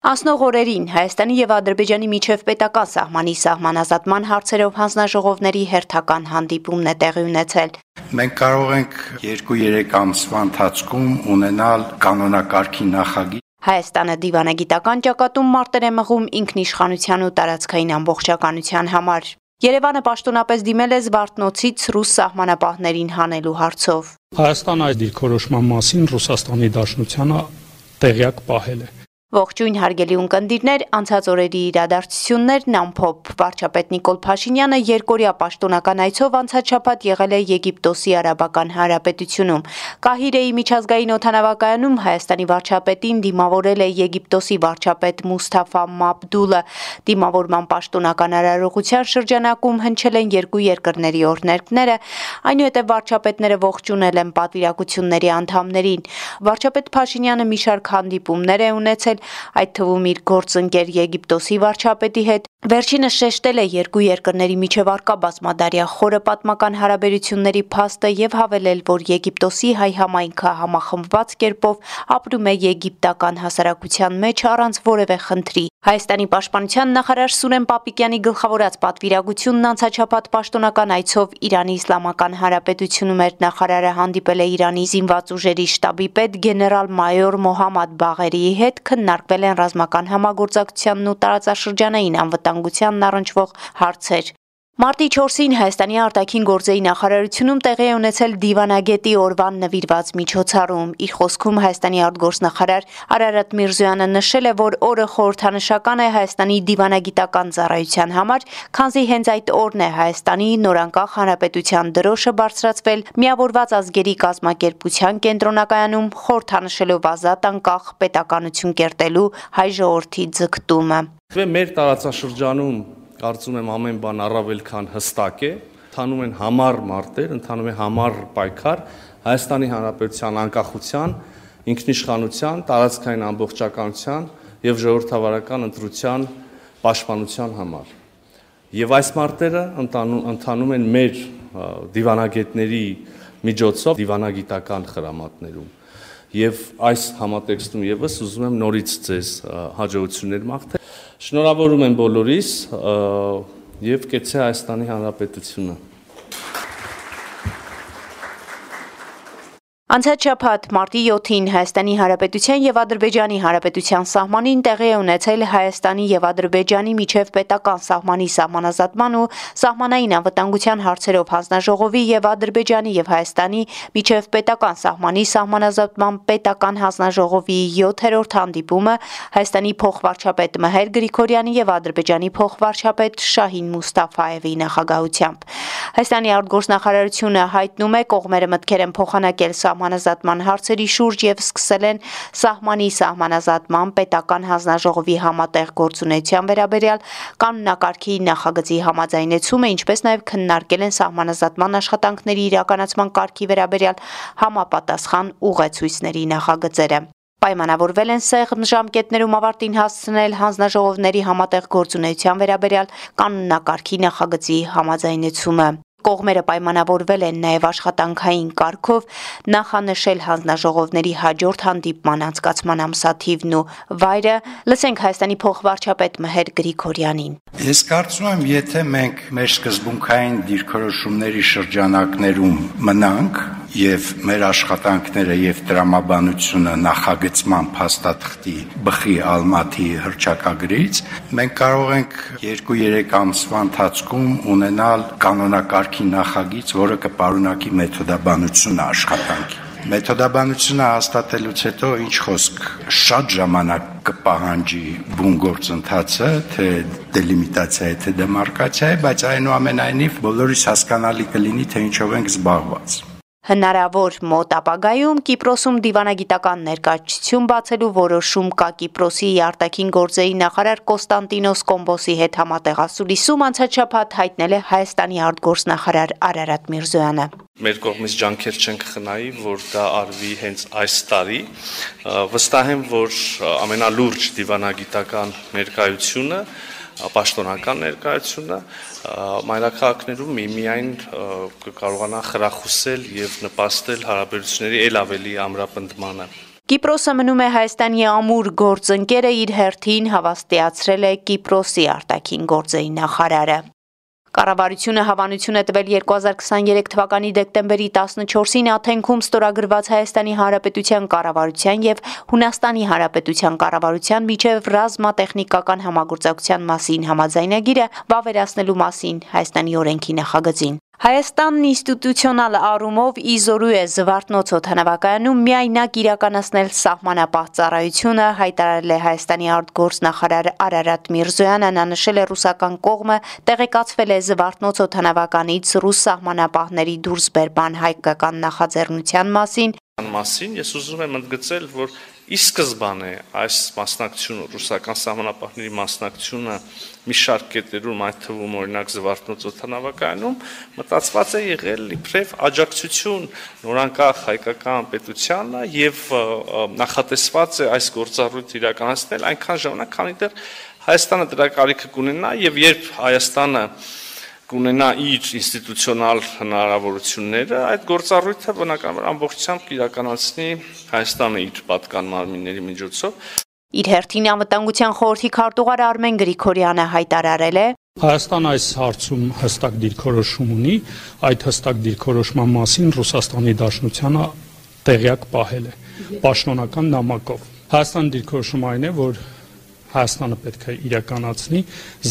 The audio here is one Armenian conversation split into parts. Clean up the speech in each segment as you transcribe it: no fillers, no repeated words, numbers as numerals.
Անցնող օրերին Հայաստանի եւ Ադրբեջանի միջև պետական սահմանի սահմանազատման հարցերով հանձնաժողովների հերթական հանդիպումն է տեղի ունեցել։ Մենք կարող ենք 2-3 ամսվա ընթացքում ունենալ կանոնակարգի նախագիծ։ Հայաստանը դիվանագիտական ճակատում մարտեր է մղում ինքնիշխանության ու տարածքային ամբողջականության համար։ Երևանը պաշտոնապես դիմել է Զվարթնոցից ռուս սահմանապահներին հանելու հարցով։ Հայաստանը այդ դիրքորոշման մասին Ռուսաստանի Դաշնությանը տեղյակ պահել է։ Ողջույն հարգելի ունկնդիրներ, անցած օրերի իրադարձություններն ամփոփ։ Վարչապետ Նիկոլ Փաշինյանը երկօրյա պաշտոնական այցով անցած շաբաթ եղել է Եգիպտոսի Արաբական Հանրապետությունում։ Կահիրեի միջազգային օդանավակայանում Հայաստանի վարչապետին դիմավորել է Եգիպտոսի վարչապետ Մուսթաֆա Մաբդուլը։ Դիմավորման պաշտոնական արարողության շրջանակում հնչել են երկու երկրների օրհներգները, այնուհետև վարչապետները ողջունել են պատվիրակությունների անդամներին։ Վարչապետ Փաշինյանը մի շարք հանդիպումներ է ունեցել, այդ թվում իր գործընկեր Եգիպտոսի վարչապետի հետ։ Վերջինս շեշտել է երկու երկրների միջև առկա բազմադարյա խորը պատմական հարաբերությունների փաստը եւ հավելել, որ Եգիպտոսի հայ համայնքը համախմբված կերպով ապրում է եգիպտական հասարակության մեջ առանց որևէ խնդրի։ Հայաստանի պաշտպանության նախարար Սուրեն Պապիկյանի գլխավորած պատվիրակությունն անցած շաբաթ պաշտոնական այցով Իրանի Իսլամական Հանրապետությունում էր։ Նախարարը հանդիպել է Իրանի զինված ուժերի շտաբի պետ գեներալ-մայոր Մոհամմադ Բաղերիի հետ, քննարկվել են ռազմական համագործակցությանն ու տարածաշրջանային անվտանգությանն առնչվող հարցեր։ Մարտի 4-ին Հայաստանի արտաքին գործերի նախարարությունում տեղի է ունեցել Դիվանագետի օրվան նվիրված միջոցառում։ Իր խոսքում Հայաստանի արտգործնախարար Արարատ Միրզոյանը նշել է, որ օրը խորհրդանշական է Հայաստանի դիվանագիտական ծառայության համար, քանզի հենց այդ օրն է Հայաստանի նորանկախ հանրապետության դրոշը բարձրացվել Միավորված ազգերի կազմակերպության կենտրոնակայանում, խորհրդանշելով ազատ անկախ պետականություն կերտելու հայ ժողովրդի ձգտումը։ Մեր տարածաշրջանում կարծում եմ ամեն բան առավել քան հստակ է, ընթանում են համառ մարտեր, ընթանում է համառ պայքար Հայաստանի Հանրապետության անկախության, ինքնիշխանության, տարածքային ամբողջականության եւ ժողովրդավարական ընտրության պաշտպանության համար։ Եվ այս մարտերը ընթանում են մեր դիվանագետների միջոցով դիվանագիտական խրամատներում։ Եվ այս համատեքստում եւս ուզում եմ նորից ձեզ հաջողություններ մաղթել։ Շնորհավորում եմ բոլորիս եւ կեցցե Հայաստանի Հանրապետությունը։ Անցած շաբաթ մարտի 7-ին Հայաստանի Հանրապետության եւ Ադրբեջանի Հանրապետության սահմանին տեղի է ունեցել Հայաստանի եւ Ադրբեջանի միջև պետական սահմանի սահմանազատման ու սահմանային անվտանգության հարցերով հանձնաժողովի եւ Ադրբեջանի եւ Հայաստանի միջև պետական սահմանի սահմանազատման պետական հանձնաժողովի 7-րդ հանդիպումը Հայաստանի փոխվարչապետ Մհեր Գրիգորյանի եւ Ադրբեջանի փոխվարչապետ Շահին Մուստաֆաևի նախագահությամբ։ Հայաստանի արտգործնախարարությունը հայտնում է, կողմերը մտքեր են փոխանակել սահմանազատման հարցերի շուրջ եւ սկսել են սահմանի սահմանազատման պետական հանձնաժողովի համատեղ գործունեության վերաբերյալ կանոնակարգի նախագծի համաձայնեցումը, ինչպես նաեւ քննարկել են սահմանազատման աշխատանքների իրականացման կարգի վերաբերյալ համապատասխան ուղեցույցների նախագծերը։ Պայմանավորվել են սեղմ ժամկետներում ավարտին հասցնել հանձնաժողովների համատեղ գործունեության վերաբերյալ կանոնակարգի նախագծի համաձայնեցումը։ Կողմերը պայմանավորվել են նաև աշխատանքային կարգով նախանշել հանձնաժողովների հաջորդ հանդիպման անցկացման ամսաթիվն ու վայրը։ Լսենք Հայաստանի փոխվարչապետ Մհեր Գրիգորյանին։ Ես կարծում եմ, եթե մենք մեր սկզբունքային դիրքորոշումների շրջանակներում մնանք եւ մեր աշխատանքները եւ տրամաբանությունը նախագծման փաստաթղթի բխի ալմաթի հռչակագրից, մենք կարող ենք 2-3 ամսվա ընթացքում ունենալ կանոնակարգի նախագիծ, որը կպարունակի մեթոդաբանությունը աշխատանքի։ Մեթոդաբանությունը հաստատելուց հետո ինչ խոսք, շատ ժամանակ կպահանջի բուն գործընթացը, թե դելիմիտացիա է, թե դեմարկացիա է, բայց այնուամենայնիվ բոլորիս հասկանալի կլինի, թե ինչով ենք զբաղված։ Հնարավոր մոտ ապագայում Կիպրոսում դիվանագիտական ներկայացություն բացելու որոշում կա Կիպրոսի արտաքին գործերի նախարար Կոստանտինոս Կոմբոսի հետ համատեղ ասուլիսում անցած շաբաթ հայտնել է Հայաստանի արտգործնախարար Արարատ Միրզոյանը։ Մեր կողմից ջանքեր չենք խնայի, որ դա արվի հենց այս տարի։ Վստահ եմ, որ ամենալուրջ դիվանագիտական ներկայությունը, պաշտոնական ներկայությունը մայրաքաղաքներում միայն կկարողանա խրախուսել եւ նպաստել հարաբերությունների ել ավելի ամրապնդմանը։ Կիպրոսը մնում է Հայաստանի ամուր գործընկերը, իր հերթին հավաստիացրել է Կիպրոսի արտաքին գործերի նախարարը։ Կառավարությունը հավանություն է տվել 2023 թվականի դեկտեմբերի 14-ին Աթենքում ստորագրված Հայաստանի Հանրապետության կառավարության եւ Հունաստանի Հանրապետության կառավարության միջև ռազմատեխնիկական համագործակցության մասին համաձայնագիրը վավերացնելու մասին Հայաստանի օրենքի նախագծին։ Հայաստանն ինստիտուցիոնալ առումով իզորու է Զվարթնոց օդանավակայանում միայնակ իրականացնել սահմանապահ ծառայությունը, հայտարարել է Հայաստանի արտգործնախարար Արարատ Միրզոյանը, նա նշել է ռուսական կողմը տեղեկացվել է Զվարթնոց օդանավականից ռուս սահմանապահների դուրսբերման հայկական նախաձեռնության մասին ես ուզում եմ ընդգծել, որ ի սկզբանե այս մասնակցությունը ռուսական սահմանապահների մասնակցությունը մի շարք կետերում, այդ թվում օրինակ Զվարթնոց օդանավակայանում մտածված է եղել իբրև աջակցություն նորանկախ հայկական պետությանը եւ նախատեսված է այս գործառույթը իրականացնել այնքան ժամանակ, քանի դեռ Հայաստանը դրա կարիքը կունենա եւ երբ Հայաստանը կունենա իր ինստիտուցիոնալ հնարավորությունները, այդ գործառույթը բնականաբար ամբողջությամբ կիրականացնի Հայաստանը իր պատկան մարմինների միջոցով։ Իր հերթին անվտանգության խորհրդի քարտուղար Արմեն Գրիգորյանը հայտարարել է. Հայաստանը այս հարցում հստակ դիրքորոշում ունի, այդ հստակ դիրքորոշման մասին Ռուսաստանի Դաշնությանը տեղյակ պահել է պաշտոնական նամակով։ Հայաստանի դիրքորոշումը այն է, որ Հայաստանը պետք է իրականացնի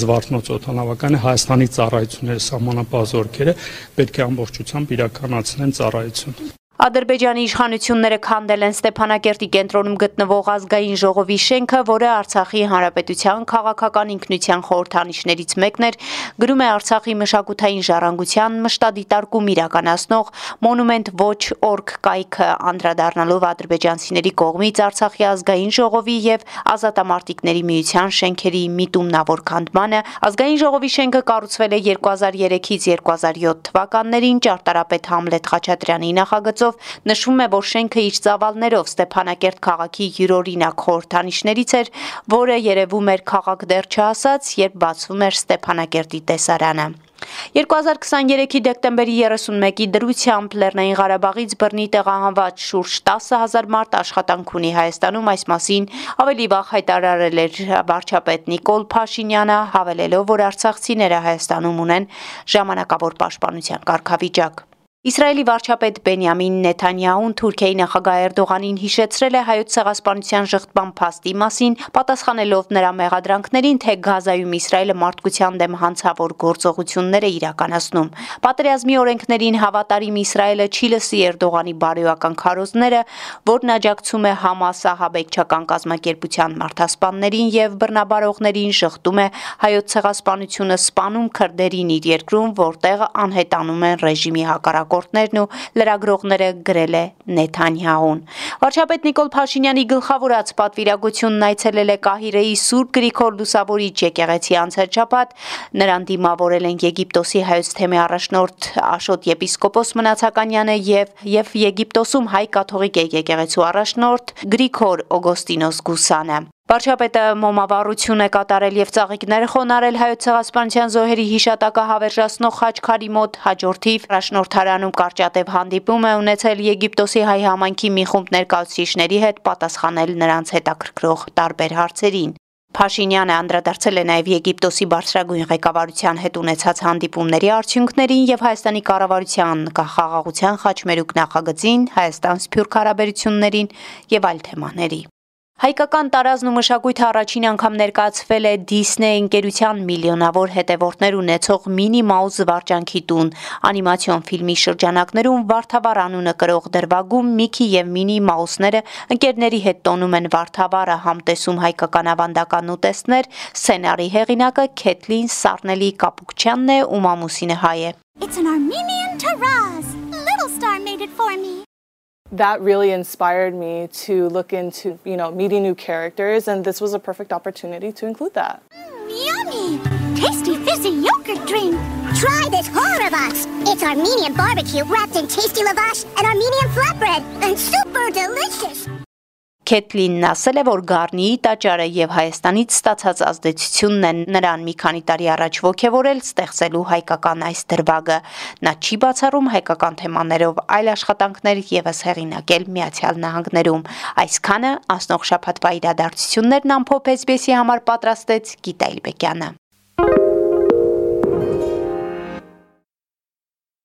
Զվարթնոց օդանավակայանը Հայաստանի ծառայությունները սահմանապահ զորքերը պետք է ամբողջությամբ իրականացնեն ծառայություն։ Ադրբեջանի իշխանությունները քանդել են Ստեփանակերտի կենտրոնում գտնվող ազգային ժողովի շենքը, որը Արցախի հանրապետության քաղաքական ինքնության խորհրդանիշներից մեկն էր, գրում է Արցախի մշակութային ժառանգության մշտադիտարկում իրականացնող Monument Watch Org կայքը, անդրադառնալով ադրբեջանցիների կողմից Արցախի ազգային ժողովի եւ Ազատամարտիկների միության շենքերի միտումնավոր քանդմանը։ Ազգային ժողովի շենքը կառուցվել է 2003-ից 2007 թվականներին ճարտարապետ Համլետ Խաչատրյանի նախագծով, նշվում է, որ շենքը իր ծավալներով Ստեփանակերտ քաղաքի յուրօրինակ խորհրդանիշներից էր, որը երևում էր քաղաք դեռ չհասած, երբ բացվում էր Ստեփանակերտի տեսարանը։ 2023-ի դեկտեմբերի 31-ի դրությամբ Լեռնային Ղարաբաղից բռնի տեղահանված շուրջ 10,000 մարդ աշխատանք ունի Հայաստանում, այս մասին ավելի վաղ հայտարարել էր վարչապետ Նիկոլ Փաշինյանը, հավելելով, որ արցախցիները Հայաստանում ունեն ժամանակավոր պաշտպանության կարգավիճակ։ Իսրայելի վարչապետ Բենյամին Նեթանյահուն Թուրքիայի նախագահ Էրդողանին հիշեցրել է հայոց ցեղասպանության շղթման փաստի մասին, պատասխանելով նրա մեղադրանքներին, թե Գազայում Իսրայելը մարդկության դեմ հանցավոր գործողություններ է իրականացնում։ Պատերազմի օրենքներին հավատարիմ Իսրայելը չի լսի Էրդողանի բարոյական քարոզները, որն աջակցում է Համաս ահաբեկչական կազմակերպության մարդասպաններին եւ բռնաբարողներին, շղթում է հայոց ցեղասպանությունը, սպանում քրդերին իր երկրում, որտեղ անհետանում են ռեժիմի հակառակ ու լրագրողները, գրել է Նեթանյահուն։ Վարչապետ Նիկոլ Փաշինյանի գլխավորած պատվիրակությունն այցելել է Կահիրեի Սուրբ Գրիգոր Լուսավորիչ եկեղեցի անցած նրան դիմավորել են Եգիպտոսի հայոց թեմի առաջնորդ Աշոտ եպիսկոպոս Մնացականյանը եւ Եգիպտոսում հայ կաթողիկ եկեղեցու առաջնորդ Գրիգոր Օգոստինոս Գուսանը։ Վարչապետը մոմավառություն է կատարել եւ ծաղիկներ խոնարել հայոց ցեղասպանության զոհերի հիշատակը հավերժացնող խաչքարի մոտ, հաջորդիվ առաջնորդարանում կարճատև հանդիպում է ունեցել Եգիպտոսի հայ համայնքի մի խումբ ներկայացուցիչների հետ, պատասխանել նրանց հետաքրքրող տարբեր հարցերին։ Փաշինյանը անդրադարձել է նաև Եգիպտոսի բարձրագույն ղեկավարության հետ ունեցած հանդիպումների արդյունքներին եւ Հայաստանի կառավարության խաղաղության խաչմերուկ նախագծին, Հայաստան-Սփյուռք հարաբերություններին եւ այլ թեմաների։ Հայկական տարազն ու մշակույթը առաջին անգամ ներկայացվել է Դիսնեյ ընկերության միլիոնավոր հետևորդներ ունեցող Մինի Մաուս զվարճանքի տուն անիմացիոն ֆիլմի շրջանակներում Վարդավառ անունը կրող դրվագում Միքի եւ Մինի Մաուսները ընկերների հետ տոնում են Վարդավառը, համտեսում հայկական ավանդական ուտեստներ, սցենարի հեղինակը Քեթլին Սառնելի Կապուկչյանն է ու մամուսինը հայ է։ It's an Armenian Taraz. Little Star made it for me. That really inspired me to look into, meeting new characters, and this was a perfect opportunity to include that. Yummy! Tasty fizzy yogurt drink. Try this Horavash. It's Armenian barbecue wrapped in tasty lavash and Armenian flatbread, and super delicious. Քեթլինն ասել է, որ Գառնիի տաճարը եւ Հայաստանից ստացած ազդեցությունն են նրան մի քանի տարի առաջ ոգևորել ստեղծելու հայկական այս դրվագը։ Նա չի բացառում հայկական թեմաներով այլ աշխատանքներ եւս հեղինակել Միացյալ Նահանգներում։ Այսքանը անցնող շաբաթվա իրադարձություններն ամփոփ SBS-ի համար պատրաստեց Գիտա Իլբեկյանը։